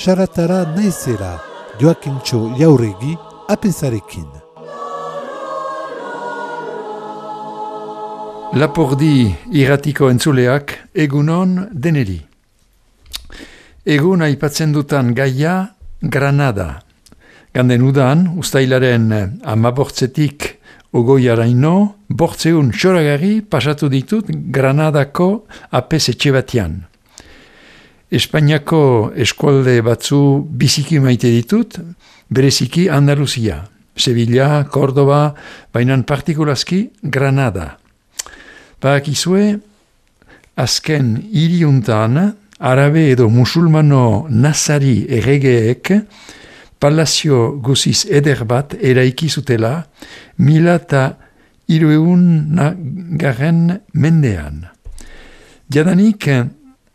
Saratara naizera, Joakintxo Jauregi, apezarekin. Lapurdi irratiko entzuleak egunon deneri. Egun aipatzen dutan gaia Granada. Ganden udan, ustailaren 15 ogoiaraino, 800 txoragari pasatu ditut Granadako apez etxe batean. Espainiako eskualde batzu biziki maite ditut, bereziki Andaluzia, Sevilla, Córdoba, bainan partikulazki Granada. Bakizue, azken hiriuntan, arabe edo musulmano nazari erregeek palazio guziz eder bat eraiki zutela 1300 mendean. Jadanik,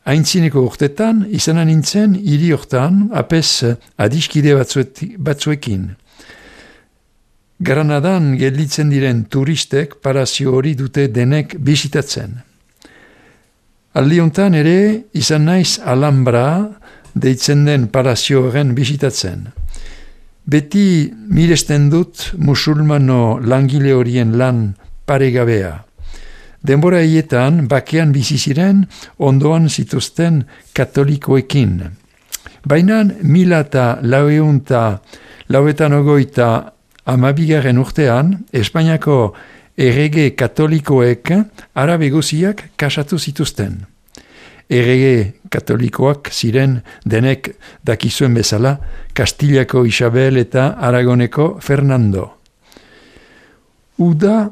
aintzineko urtetan, izanan nintzen hiri hortan apez adiskide batzuekin. Granadan gelditzen diren turistek palazio hori dute denek bisitatzen. Aldiontan ere izan naiz Alhambra deitzen den palazio horren bisitatzen. Beti miresten dut musulmano langile horien lan paregabea. Denbora hietan bakean bizi ziren ondoan zituzten katolikoekin. Baina 1980 amabigarren urtean, Espainiako errege katolikoek arabe guziak kasatu zituzten. Errege katolikoak ziren denek dakizuen bezala Kastilako Isabel eta Aragoneko Fernando. Uda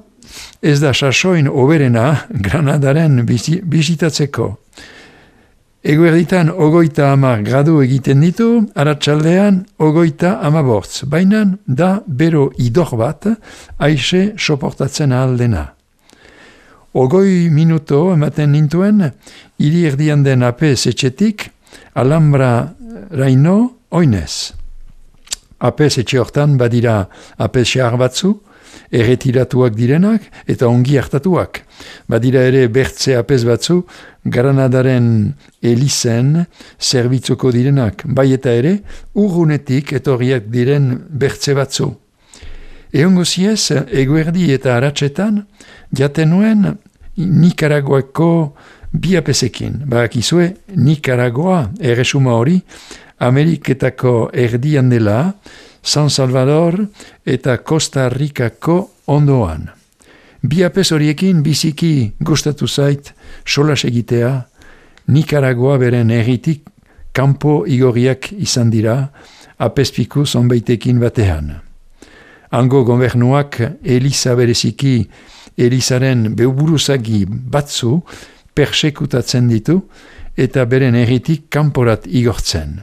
ez da sasoin oberena Granadaren bisitatzeko. Eguerditan 30 gradu egiten ditu, arratsaldean 35, baina da bero idor bat aixe soportatzen ahaldena. 20 minuto ematen nintuen, hiri erdian den apez etxetik, Alhambra raino oinez. Apez etxe hortan badira apez xahar batzu, erretiratuak direnak eta ongi hartatuak. Badira ere bertze apez batzu, Granadaren elizen zerbitzuko direnak, bai eta ere urrunetik etorriak diren bertze batzu. Egongo ziez, eguerdi eta aratsetan, jaten nuen Nikaraguako bi apezekin. Bakizue, Nikaragua erresuma hori, Ameriketako erdian dela, San Salvador eta Costa Ricako ondoan. Bi apez horiekin biziki gustatu zait solas egitea, Nikaragua beren erritik kanpo igorriak izan dira, apezpiku zonbaitekin batean. Hango gobernuak Eliza bereziki, Elizaren beuburuzagi batzu persekutatzen ditu eta beren erritik kanporat igortzen.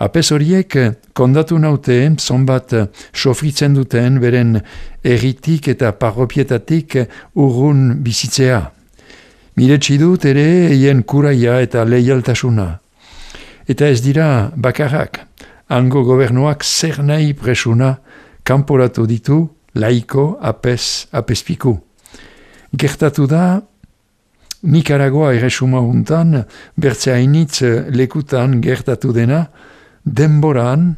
Apez horiek kondatu naute zonbat sofritzen duten beren erritik eta parropietatik urrun bizitzea. Miretsi dut ere eien kuraia eta leialtasuna. Eta ez dira bakarrak, hango gobernuak zer nahi presuna kanporatu ditu laiko apezpiku. Gertatu da, Nikaragua erresuma untan, bertze hainitz lekutan gertatu dena, denboran,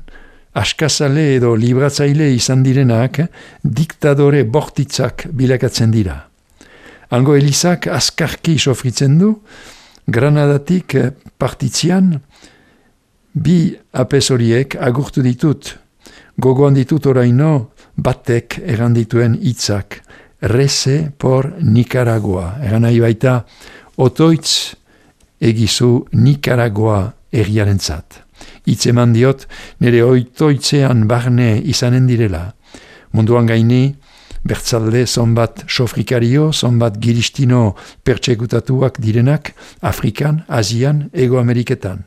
askazale edo libratzaile izan direnak, diktadore bortitzak bilakatzen dira. Hango Elizak azkarki sofritzen du, Granadatik partitzian, bi apez horiek agurtu ditut, gogoan ditut oraino batek errandituen hitzak, reze por Nicaragua. Eran nahi baita, otoitz egizu Nicaragua erriarentzat. Hitz eman diot, nire oitoitzean barne izanen direla. Munduan gaini, bertzalde zonbat sofrikario, zonbat giristino pertsekutatuak direnak, Afrikan, Asian, Ego Ameriketan.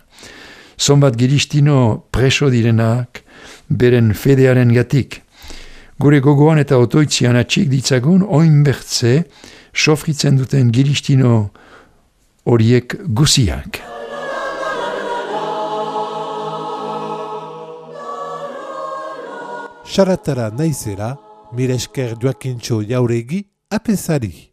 Zonbat giristino preso direnak, beren fedearen gatik. Gure gogoan eta otoitzian atxik ditzagun, oin bertze, sofritzen duten giristino horiek guziak. Saratara naizera, mire esker Joakintxo Jauregi, apezari.